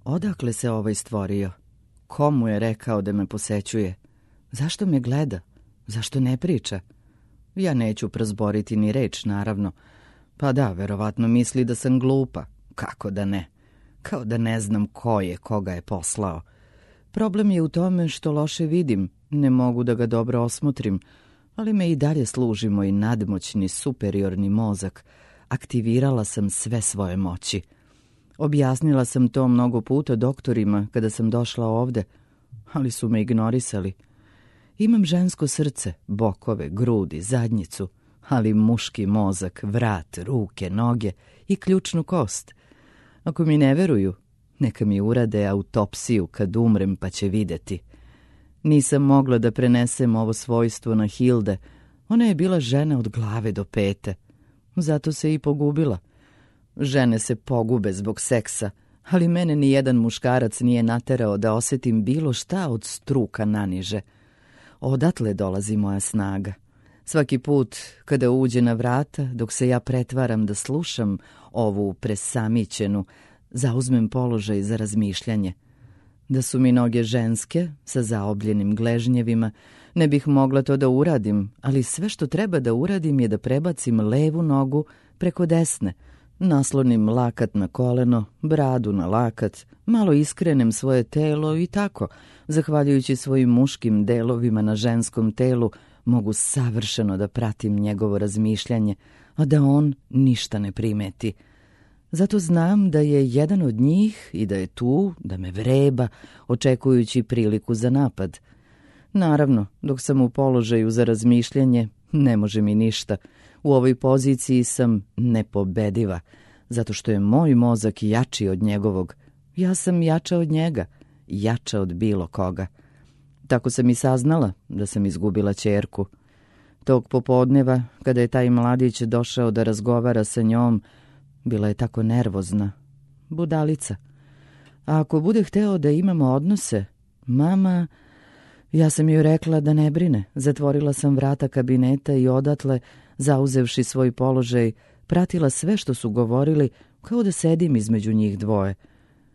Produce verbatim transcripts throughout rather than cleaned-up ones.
Odakle se ovaj stvorio? Komu je rekao da me posećuje? Zašto me gleda? Zašto ne priča? Ja neću prozboriti ni reč, naravno. Pa da, verovatno misli da sam glupa. Kako da ne? Kao da ne znam ko je, koga je poslao. Problem je u tome što loše vidim, ne mogu da ga dobro osmotrim, ali me i dalje služi moj nadmoćni, superiorni mozak. Aktivirala sam sve svoje moći. Objasnila sam to mnogo puta doktorima kada sam došla ovde, ali su me ignorisali. Imam žensko srce, bokove, grudi, zadnjicu, ali muški mozak, vrat, ruke, noge i ključnu kost. Ako mi ne veruju, neka mi urade autopsiju kad umrem pa će videti. Nisam mogla da prenesem ovo svojstvo na Hilde. Ona je bila žena od glave do pete. Zato se i pogubila. Žene se pogube zbog seksa, ali mene ni jedan muškarac nije naterao da osetim bilo šta od struka naniže. Odatle dolazi moja snaga. Svaki put kada uđe na vrata, dok se ja pretvaram da slušam ovu presamićenu, zauzmem položaj za razmišljanje. Da su mi noge ženske, sa zaobljenim gležnjevima, ne bih mogla to da uradim, ali sve što treba da uradim je da prebacim levu nogu preko desne, naslonim lakat na koleno, bradu na lakat, malo iskrenem svoje telo i tako, zahvaljujući svojim muškim delovima na ženskom telu, mogu savršeno da pratim njegovo razmišljanje, a da on ništa ne primeti. Zato znam da je jedan od njih i da je tu, da me vreba, očekujući priliku za napad. Naravno, dok sam u položaju za razmišljanje, ne može mi ništa. U ovoj poziciji sam nepobediva, zato što je moj mozak jači od njegovog. Ja sam jača od njega, jača od bilo koga. Tako sam i saznala da sam izgubila ćerku. Tog popodneva, kada je taj mladić došao da razgovara sa njom, bila je tako nervozna. Budalica. A ako bude hteo da imamo odnose, mama... Ja sam joj rekla da ne brine. Zatvorila sam vrata kabineta i odatle, zauzevši svoj položaj, pratila sve što su govorili, kao da sedim između njih dvoje.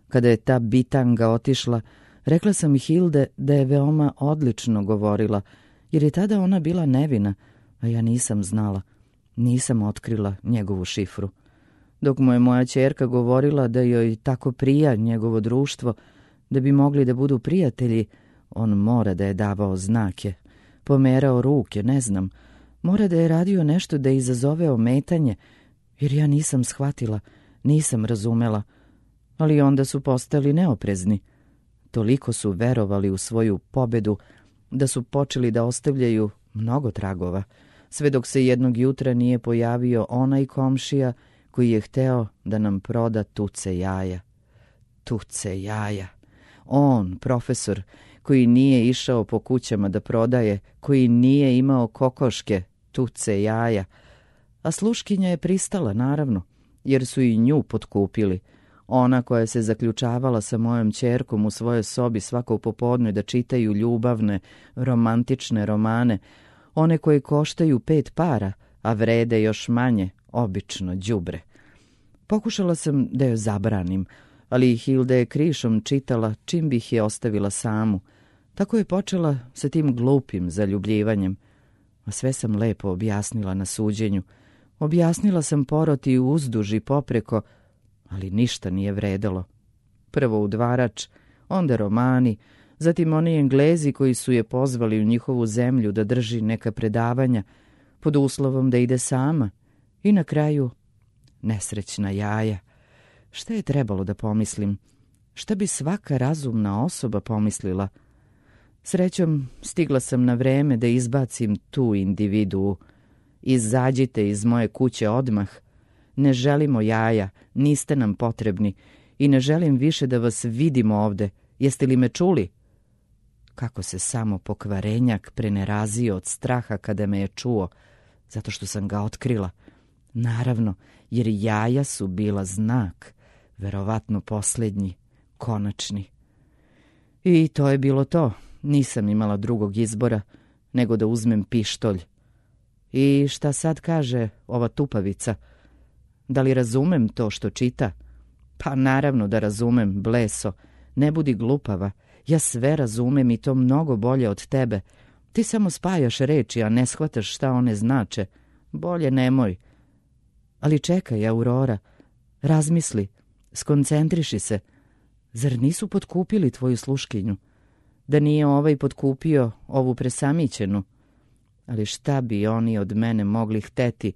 Kada je ta bitanga otišla, rekla sam Hilde da je veoma odlično govorila, jer je tada ona bila nevina, a ja nisam znala. Nisam otkrila njegovu šifru. Dok mu je moja ćerka govorila da joj tako prija njegovo društvo, da bi mogli da budu prijatelji, on mora da je davao znake, pomerao ruke, ne znam, mora da je radio nešto da izazove ometanje, jer ja nisam shvatila, nisam razumela, ali onda su postali neoprezni. Toliko su verovali u svoju pobedu da su počeli da ostavljaju mnogo tragova, sve dok se jednog jutra nije pojavio onaj komšija koji je hteo da nam proda tuce jaja. Tuce jaja. On, profesor, koji nije išao po kućama da prodaje, koji nije imao kokoške, tuce jaja. A sluškinja je pristala, naravno, jer su i nju potkupili. Ona koja se zaključavala sa mojom ćerkom u svojoj sobi svako popodne da čitaju ljubavne, romantične romane, one koje koštaju pet para, a vrede još manje, obično đubre. Pokušala sam da joj zabranim, ali Hilda je krišom čitala čim bih je ostavila samu. Tako je počela sa tim glupim zaljubljivanjem. A sve sam lepo objasnila na suđenju. Objasnila sam poroti uzduž i popreko, ali ništa nije vredelo. Prvo udvarač, onda romani, zatim oni Englezi koji su je pozvali u njihovu zemlju da drži neka predavanja, pod uslovom da ide sama, i na kraju nesrećna jaja. Šta je trebalo da pomislim? Šta bi svaka razumna osoba pomislila? Srećom, stigla sam na vreme da izbacim tu individuu. Izađite iz moje kuće odmah. Ne želimo jaja, niste nam potrebni i ne želim više da vas vidimo ovde. Jeste li me čuli? Kako se samo pokvarenjak prenerazio od straha kada me je čuo, zato što sam ga otkrila. Naravno, jer jaja su bila znak, verovatno posljednji, konačni. I to je bilo to. Nisam imala drugog izbora nego da uzmem pištolj. I šta sad kaže ova tupavica? Da li razumem to što čita? Pa naravno da razumem, bleso. Ne budi glupava. Ja sve razumem i to mnogo bolje od tebe. Ti samo spajaš reči, a ne shvataš šta one znače. Bolje nemoj. Ali čekaj, Aurora. Razmisli. Skoncentriši se. Zar nisu potkupili tvoju sluškinju? Da nije ovaj potkupio ovu presamićenu? Ali šta bi oni od mene mogli hteti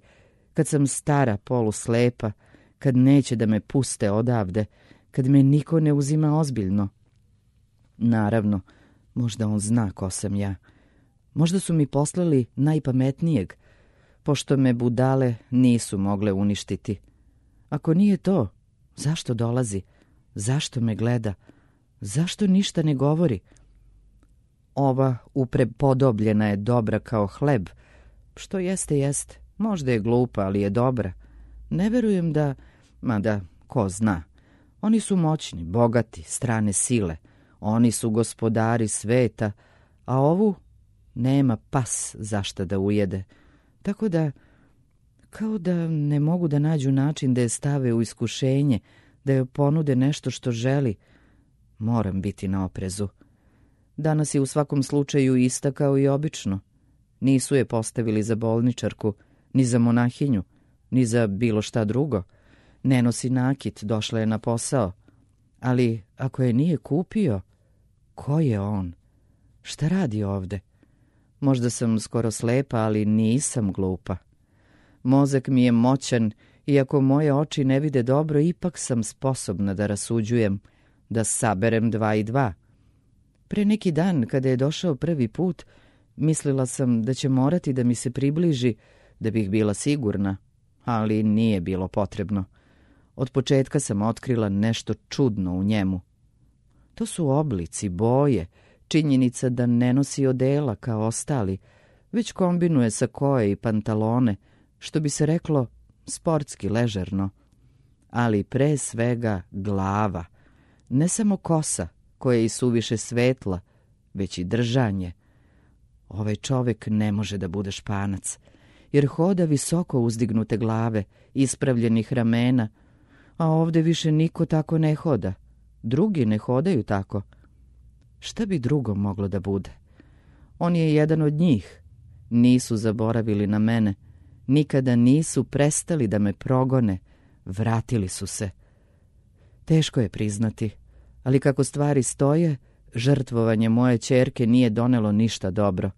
kad sam stara, poluslepa, kad neće da me puste odavde, kad me niko ne uzima ozbiljno? Naravno, možda on zna ko sam ja. Možda su mi poslali najpametnijeg, pošto me budale nisu mogle uništiti. Ako nije to, zašto dolazi? Zašto me gleda? Zašto ništa ne govori? Ova uprepodobljena je dobra kao hleb. Što jeste, jeste. Možda je glupa, ali je dobra. Ne verujem da... Mada, ko zna. Oni su moćni, bogati, strane sile. Oni su gospodari sveta, a ovu nema pas zašta da ujede. Tako da, kao da ne mogu da nađu način da je stave u iskušenje, da joj ponude nešto što želi. Moram biti na oprezu. Danas je u svakom slučaju ista kao i obično. Nisu je postavili za bolničarku, ni za monahinju, ni za bilo šta drugo. Ne nosi nakit, došla je na posao. Ali ako je nije kupio, ko je on? Šta radi ovde? Možda sam skoro slepa, ali nisam glupa. Mozak mi je moćan, iako moje oči ne vide dobro, ipak sam sposobna da rasuđujem, da saberem dva i dva. Pre neki dan, kada je došao prvi put, mislila sam da će morati da mi se približi, da bih bila sigurna, ali nije bilo potrebno. Od početka sam otkrila nešto čudno u njemu. To su oblici, boje, činjenica da ne nosi odela kao ostali, već kombinuje sakoe i pantalone, što bi se reklo sportski ležerno. Ali pre svega glava, ne samo kosa, koja je i suviše svetla, već i držanje. Ovaj čovek ne može da bude Španac, jer hoda visoko uzdignute glave, ispravljenih ramena, a ovde više niko tako ne hoda. Drugi ne hodaju tako. Šta bi drugo moglo da bude? On je jedan od njih. Nisu zaboravili na mene. Nikada nisu prestali da me progone. Vratili su se. Teško je priznati, ali kako stvari stoje, žrtvovanje moje ćerke nije donelo ništa dobro.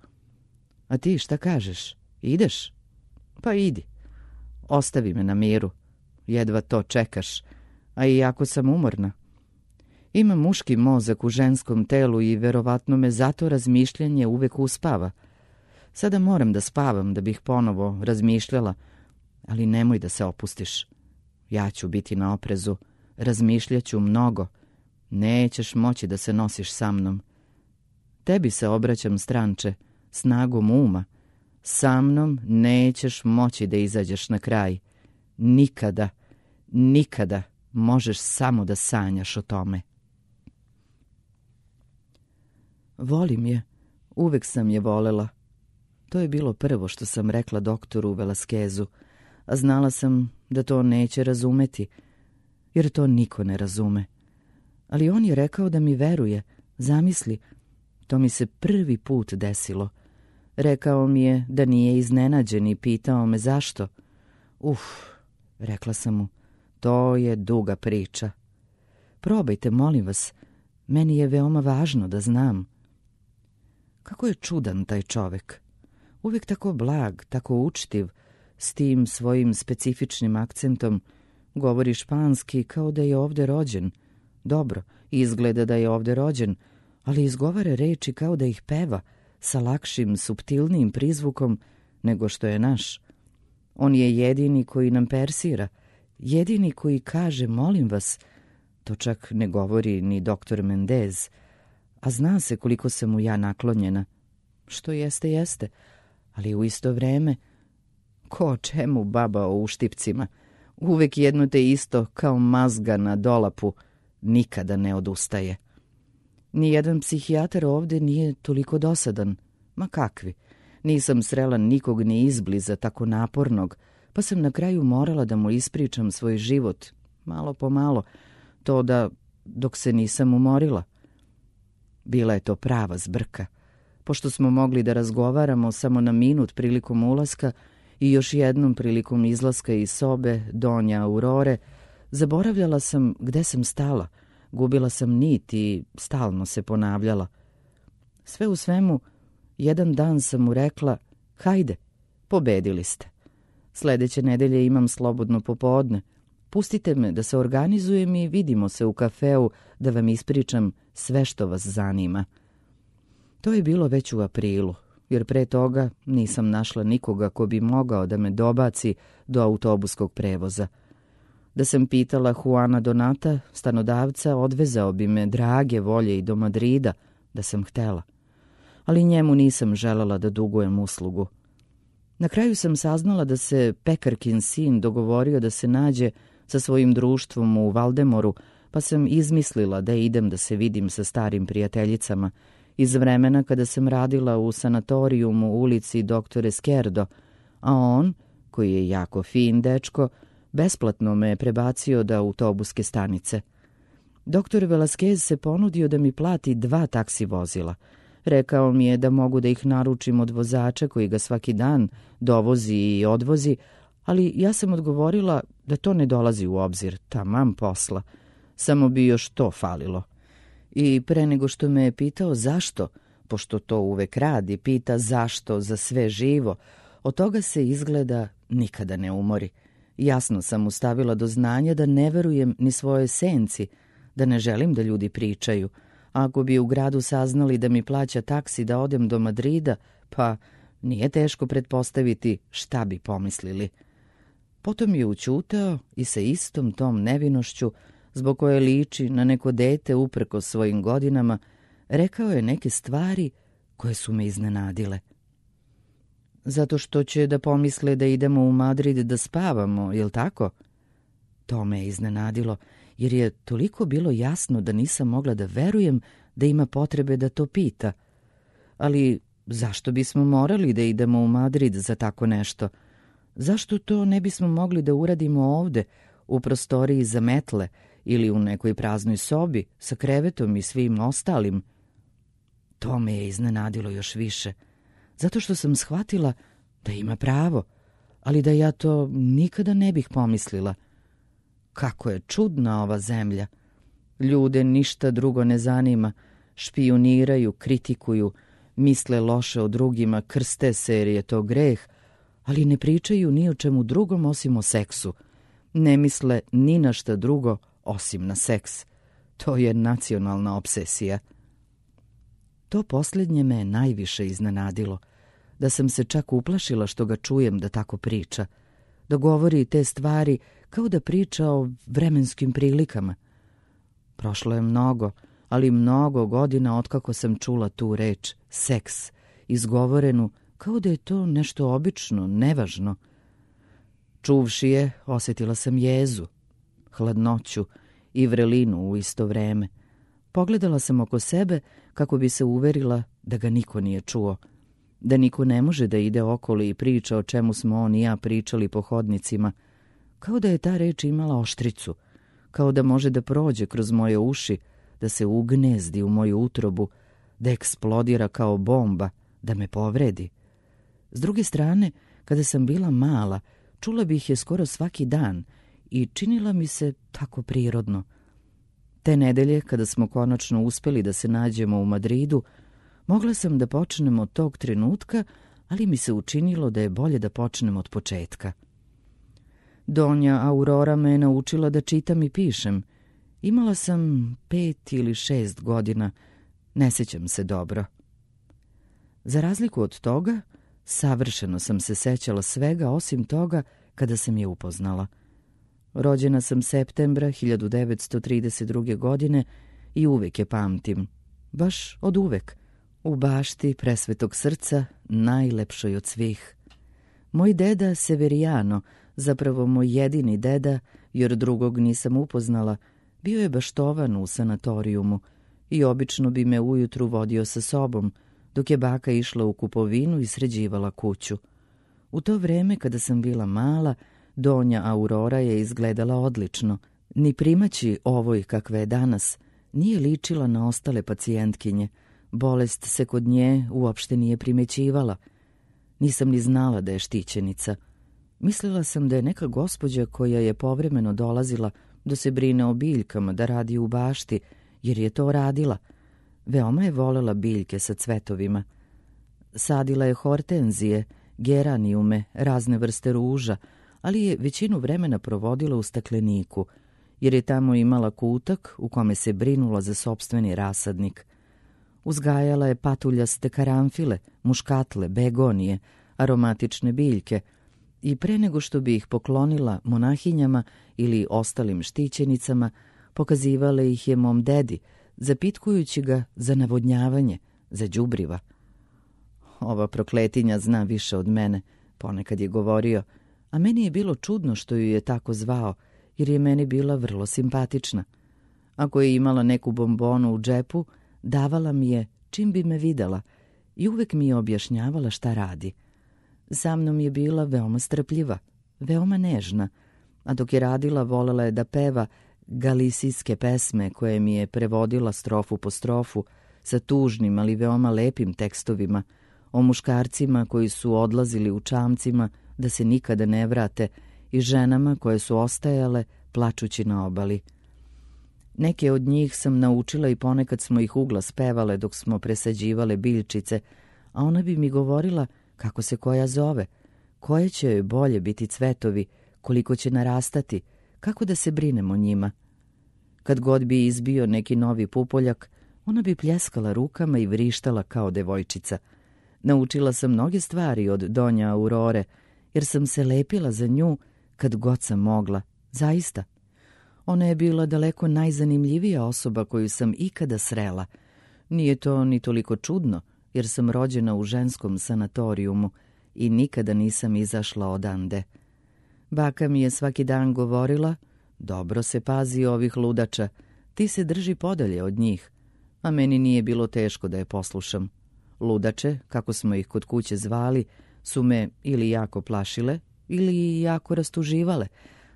A ti šta kažeš? Ideš? Pa idi. Ostavi me na miru. Jedva to čekaš, a i jako sam umorna. Imam muški mozak u ženskom telu i verovatno me zato razmišljanje uvek uspava. Sada moram da spavam da bih ponovo razmišljala, ali nemoj da se opustiš. Ja ću biti na oprezu, razmišljaću mnogo. Nećeš moći da se nosiš sa mnom. Tebi se obraćam, stranče, snagom uma. Sa mnom nećeš moći da izađeš na kraj. Nikada, nikada možeš samo da sanjaš o tome. Volim je, uvek sam je volela. To je bilo prvo što sam rekla doktoru Velaskezu, a znala sam da to neće razumeti, jer to niko ne razume. Ali on je rekao da mi veruje, zamisli, to mi se prvi put desilo. Rekao mi je da nije iznenađen i pitao me zašto. Uf, rekla sam mu, to je duga priča. Probajte, molim vas, meni je veoma važno da znam. Kako je čudan taj čovek. Uvijek tako blag, tako učtiv, s tim svojim specifičnim akcentom, govori španski kao da je ovde rođen. Dobro, izgleda da je ovde rođen, ali izgovara reči kao da ih peva, sa lakšim, suptilnijim prizvukom nego što je naš. On je jedini koji nam persira, jedini koji kaže molim vas. To čak ne govori ni doktor Mendez, a zna se koliko sam mu ja naklonjena. Što jeste, jeste, ali u isto vreme, ko čemu baba o uštipcima, uvek jedno te isto kao mazga na dolapu, nikada ne odustaje. Nijedan psihijatar ovde nije toliko dosadan. Ma kakvi, nisam srela nikog ni izbliza tako napornog, pa sam na kraju morala da mu ispričam svoj život, malo po malo, to da dok se nisam umorila. Bila je to prava zbrka, pošto smo mogli da razgovaramo samo na minut prilikom ulaska i još jednom prilikom izlaska iz sobe Donja Aurore, zaboravljala sam gde sam stala, gubila sam nit i stalno se ponavljala. Sve u svemu, jedan dan sam mu rekla, hajde, pobedili ste. Sledeće nedelje imam slobodno popodne. Pustite me da se organizujem i vidimo se u kafeu da vam ispričam sve što vas zanima. To je bilo već u aprilu, jer pre toga nisam našla nikoga ko bi mogao da me dobaci do autobuskog prevoza. Da sam pitala Juana Donata, stanodavca, odvezao bi me drage volje i do Madrida, da sam htela. Ali njemu nisam želela da dugujem uslugu. Na kraju sam saznala da se pekarkin sin dogovorio da se nađe sa svojim društvom u Valdemoru, pa sam izmislila da idem da se vidim sa starim prijateljicama iz vremena kada sam radila u sanatorijumu u ulici doktor Esquerdo, a on, koji je jako fin dečko, besplatno me je prebacio do autobuske stanice. Doktor Velasquez se ponudio da mi plati dva taksi vozila. Rekao mi je da mogu da ih naručim od vozača koji ga svaki dan dovozi i odvozi, ali ja sam odgovorila da to ne dolazi u obzir, taman posla. Samo bi još to falilo. I pre nego što me je pitao zašto, pošto to uvek radi, pita zašto za sve živo, od toga se izgleda nikada ne umori. Jasno sam mu stavila do znanja da ne verujem ni svojoj senci, da ne želim da ljudi pričaju. Ako bi u gradu saznali da mi plaća taksi da odem do Madrida, pa nije teško pretpostaviti šta bi pomislili. Potom je ućutao i sa istom tom nevinošću, zbog koje liči na neko dete uprko svojim godinama, rekao je neke stvari koje su me iznenadile. Zato što će da pomisle da idemo u Madrid da spavamo, jel tako? To me je iznenadilo, jer je toliko bilo jasno da nisam mogla da verujem da ima potrebe da to pita. Ali zašto bismo morali da idemo u Madrid za tako nešto? Zašto to ne bismo mogli da uradimo ovde, u prostoriji za metle ili u nekoj praznoj sobi sa krevetom i svim ostalim? To me je iznenadilo još više, zato što sam shvatila da ima pravo, ali da ja to nikada ne bih pomislila. Kako je čudna ova zemlja. Ljude ništa drugo ne zanima, špijuniraju, kritikuju, misle loše o drugima, krste se jer je to greh, ali ne pričaju ni o čemu drugom osim o seksu. Ne misle ni na šta drugo osim na seks. To je nacionalna obsesija. To posljednje me najviše iznenadilo, da sam se čak uplašila što ga čujem da tako priča, da govori te stvari kao da priča o vremenskim prilikama. Prošlo je mnogo, ali mnogo godina otkako sam čula tu reč seks, izgovorenu kao da je to nešto obično, nevažno. Čuvši je, osjetila sam jezu, hladnoću i vrelinu u isto vreme. Pogledala sam oko sebe kako bi se uverila da ga niko nije čuo, da niko ne može da ide okoli i priča o čemu smo on i ja pričali po hodnicima, kao da je ta reč imala oštricu, kao da može da prođe kroz moje uši, da se ugnezdi u moju utrobu, da eksplodira kao bomba, da me povredi. S druge strane, kada sam bila mala, čula bih je skoro svaki dan i činila mi se tako prirodno. Te nedelje, kada smo konačno uspeli da se nađemo u Madridu, mogla sam da počnem od tog trenutka, ali mi se učinilo da je bolje da počnem od početka. Donja Aurora me je naučila da čitam i pišem. Imala sam pet ili šest godina, ne sjećam se dobro. Za razliku od toga, savršeno sam se sećala svega osim toga kada sam je upoznala. Rođena sam septembra hiljadu devetsto trideset druge. godine i uvek je pamtim. Baš od uvek. U bašti presvetog srca, najlepšoj od svih. Moj deda Severiano, zapravo moj jedini deda, jer drugog nisam upoznala, bio je baštovan u sanatorijumu i obično bi me ujutru vodio sa sobom, dok je baka išla u kupovinu i sređivala kuću. U to vreme, kada sam bila mala, Donja Aurora je izgledala odlično, Ni primaći ovoj kakve je danas nije ličila na ostale pacijentkinje. Bolest se kod nje uopšte nije primećivala. Nisam ni znala da je štićenica. Mislila sam da je neka gospođa koja je povremeno dolazila da se brine o biljkama, da radi u bašti, jer je to radila. Veoma je volela biljke sa cvetovima. Sadila je hortenzije, geranijume, razne vrste ruža, ali je većinu vremena provodila u stakleniku, jer je tamo imala kutak u kome se brinula za sopstveni rasadnik. Uzgajala je patuljaste karanfile, muškatle, begonije, aromatične biljke i pre nego što bi ih poklonila monahinjama ili ostalim štićenicama, pokazivala ih je mom dedi, zapitkujući ga za navodnjavanje, za đubriva. Ova prokletinja zna više od mene, ponekad je govorio, a meni je bilo čudno što ju je tako zvao, jer je meni bila vrlo simpatična. Ako je imala neku bombonu u džepu, davala mi je čim bi me videla i uvek mi je objašnjavala šta radi. Sa mnom je bila veoma strpljiva, veoma nežna, a dok je radila volela je da peva galisijske pesme koje mi je prevodila strofu po strofu sa tužnim, ali veoma lepim tekstovima o muškarcima koji su odlazili u čamcima da se nikada ne vrate i ženama koje su ostajale plačući na obali. Neke od njih sam naučila i ponekad smo ih uglas pevale dok smo presađivale biljčice, a ona bi mi govorila kako se koja zove, koje će joj bolje biti cvetovi, koliko će narastati, kako da se brinemo o njima. Kad god bi izbio neki novi pupoljak, ona bi pljeskala rukama i vrištala kao devojčica. Naučila sam mnoge stvari od donja Aurore, jer sam se lepila za nju kad god sam mogla, zaista. Ona je bila daleko najzanimljivija osoba koju sam ikada srela. Nije to ni toliko čudno, jer sam rođena u ženskom sanatorijumu i nikada nisam izašla odande. Baka mi je svaki dan govorila, dobro se pazi ovih ludača, ti se drži podalje od njih, a meni nije bilo teško da je poslušam. Ludače, kako smo ih kod kuće zvali, su me ili jako plašile ili jako rastuživale,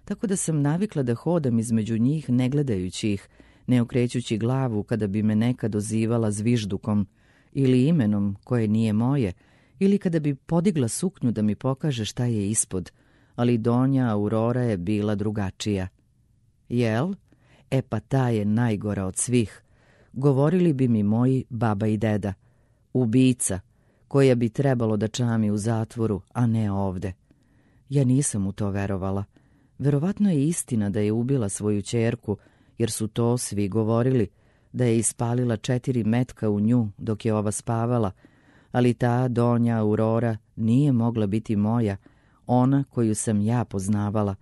tako da sam navikla da hodam između njih ne gledajući ih, ne okrećući glavu kada bi me neka dozivala zviždukom ili imenom koje nije moje, ili kada bi podigla suknju da mi pokaže šta je ispod, ali donja Aurora je bila drugačija. Jel? E pa ta je najgora od svih. Govorili bi mi moji baba i deda. Ubica, koja bi trebalo da čami u zatvoru, a ne ovde. Ja nisam u to verovala. Verovatno je istina da je ubila svoju ćerku, jer su to svi govorili, da je ispalila četiri metka u nju dok je ova spavala, ali ta donja Aurora nije mogla biti moja, ona koju sam ja poznavala.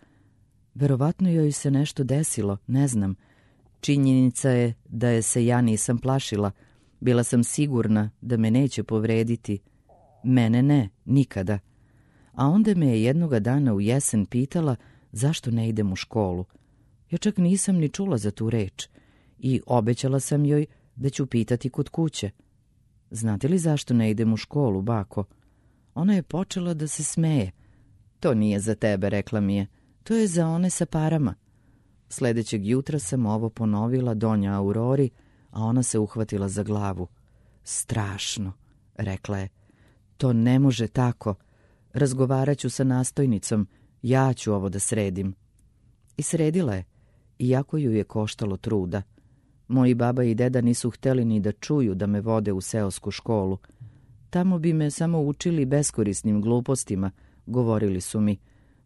Verovatno joj se nešto desilo, ne znam. Činjenica je da je se ja nisam plašila. Bila sam sigurna da me neće povrediti. Mene ne, nikada. A onda me je jednoga dana u jesen pitala zašto ne idem u školu. Ja čak nisam ni čula za tu reč i obećala sam joj da ću pitati kod kuće. Znate li zašto ne idem u školu, bako? Ona je počela da se smeje. To nije za tebe, rekla mi je. To je za one sa parama. Sledećeg jutra sam ovo ponovila donja Aurori, a ona se uhvatila za glavu. Strašno, rekla je. To ne može tako. Razgovarat ću sa nastojnicom. Ja ću ovo da sredim. I sredila je, iako ju je koštalo truda. Moji baba i deda nisu hteli ni da čuju da me vode u seosku školu. Tamo bi me samo učili beskorisnim glupostima, govorili su mi.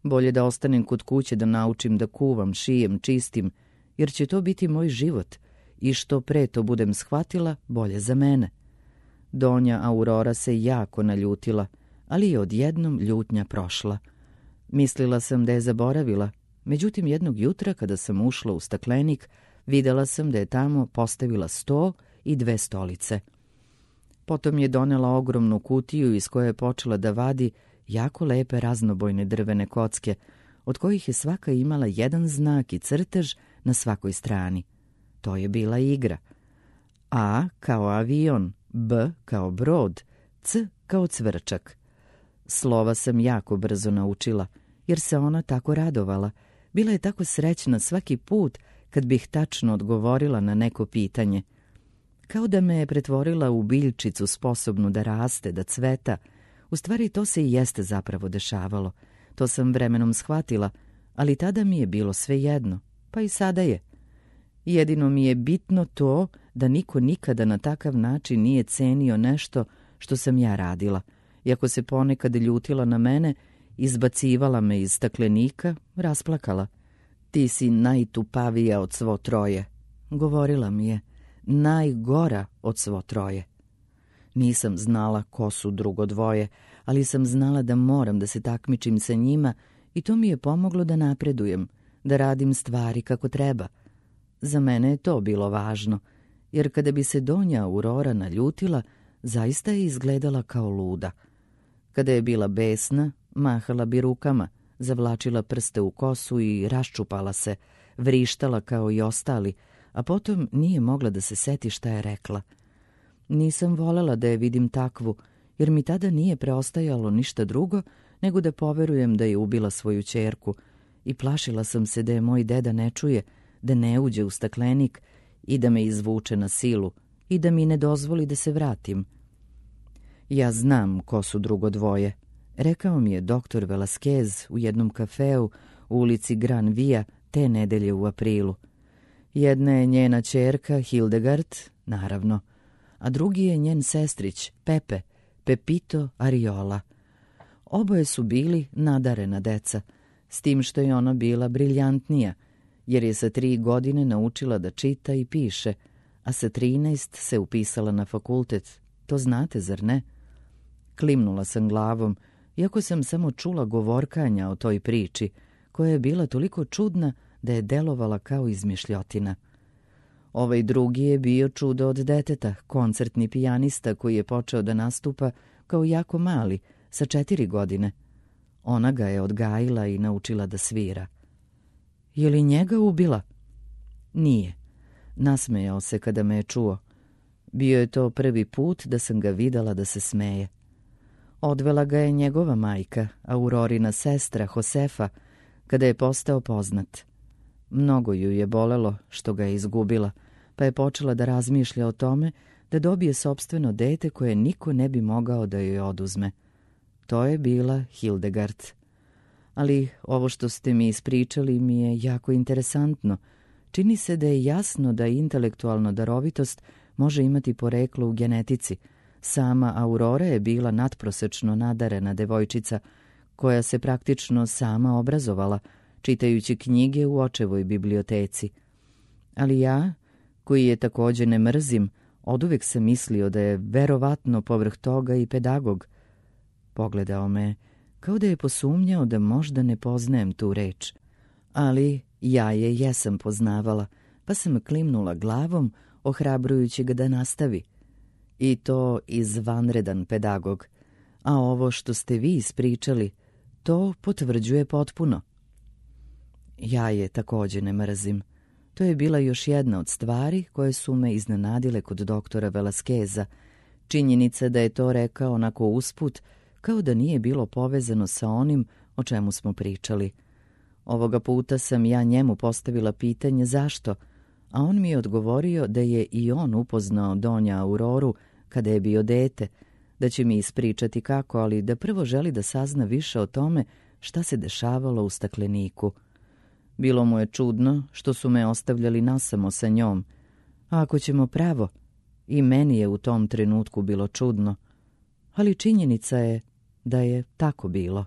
Bolje da ostanem kod kuće da naučim da kuvam, šijem, čistim, jer će to biti moj život i što pre to budem shvatila, bolje za mene. Donja Aurora se jako naljutila, ali je odjednom ljutnja prošla. Mislila sam da je zaboravila, međutim jednog jutra kada sam ušla u staklenik, videla sam da je tamo postavila sto i dve stolice. Potom je donela ogromnu kutiju iz koje je počela da vadi jako lepe raznobojne drvene kocke, od kojih je svaka imala jedan znak i crtež na svakoj strani. To je bila igra. A kao avion, B kao brod, C kao cvrčak. Slova sam jako brzo naučila, jer se ona tako radovala. Bila je tako srećna svaki put kad bih tačno odgovorila na neko pitanje. Kao da me je pretvorila u biljčicu sposobnu da raste, da cveta. U stvari to se i jeste zapravo dešavalo. To sam vremenom shvatila, ali tada mi je bilo svejedno, pa i sada je. Jedino mi je bitno to da niko nikada na takav način nije cenio nešto što sam ja radila. Iako se ponekad ljutila na mene, izbacivala me iz staklenika, rasplakala. Ti si najtupavija od svo troje, govorila mi je, najgora od svo troje. Nisam znala ko su drugo dvoje, ali sam znala da moram da se takmičim sa njima i to mi je pomoglo da napredujem, da radim stvari kako treba. Za mene je to bilo važno, jer kada bi se donja Aurora naljutila, zaista je izgledala kao luda. Kada je bila besna, mahala bi rukama, zavlačila prste u kosu i raščupala se, vrištala kao i ostali, a potom nije mogla da se seti šta je rekla. Nisam volela da je vidim takvu, jer mi tada nije preostajalo ništa drugo nego da poverujem da je ubila svoju ćerku i plašila sam se da je moj deda ne čuje, da ne uđe u staklenik i da me izvuče na silu i da mi ne dozvoli da se vratim. Ja znam ko su drugo dvoje, rekao mi je doktor Velasquez u jednom kafeu u ulici Gran Via te nedelje u aprilu. Jedna je njena ćerka Hildegard, naravno, a drugi je njen sestrić Pepe, Pepito Ariola. Oboje su bili nadarena deca, s tim što je ona bila briljantnija, jer je sa tri godine naučila da čita i piše, a sa trinaest se upisala na fakultet. To znate, zar ne? Klimnula sam glavom, iako sam samo čula govorkanja o toj priči, koja je bila toliko čudna da je delovala kao izmišljotina. Ovaj drugi je bio čudo od deteta, koncertni pijanista koji je počeo da nastupa kao jako mali, sa četiri godine. Ona ga je odgajila i naučila da svira. Je li njega ubila? Nije. Nasmejao se kada me je čuo. Bio je to prvi put da sam ga videla da se smeje. Odvela ga je njegova majka, Aurorina sestra Josefa, kada je postao poznat. Mnogo ju je bolelo što ga je izgubila, pa je počela da razmišlja o tome da dobije sopstveno dete koje niko ne bi mogao da joj oduzme. To je bila Hildegard. Ali ovo što ste mi ispričali mi je jako interesantno. Čini se da je jasno da intelektualna darovitost može imati poreklo u genetici. Sama Aurora je bila nadprosečno nadarena devojčica koja se praktično sama obrazovala, čitajući knjige u očevoj biblioteci. Ali ja, koji je također ne mrzim, oduvek sam mislio da je verovatno povrh toga i pedagog. Pogledao me, kao da je posumnjao da možda ne poznajem tu reč. Ali ja je jesam poznavala, pa sam klimnula glavom, ohrabrujući ga da nastavi. I to izvanredan pedagog. A ovo što ste vi ispričali, to potvrđuje potpuno. Ja je također ne mrzim. To je bila još jedna od stvari koje su me iznenadile kod doktora Velasqueza. Činjenica da je to rekao onako usput, kao da nije bilo povezano sa onim o čemu smo pričali. Ovoga puta sam ja njemu postavila pitanje zašto, a on mi je odgovorio da je i on upoznao Donja Auroru kada je bio dete, da će mi ispričati kako, ali da prvo želi da sazna više o tome šta se dešavalo u stakleniku. Bilo mu je čudno što su me ostavljali nasamo sa njom, a ako ćemo pravo, i meni je u tom trenutku bilo čudno, ali činjenica je da je tako bilo.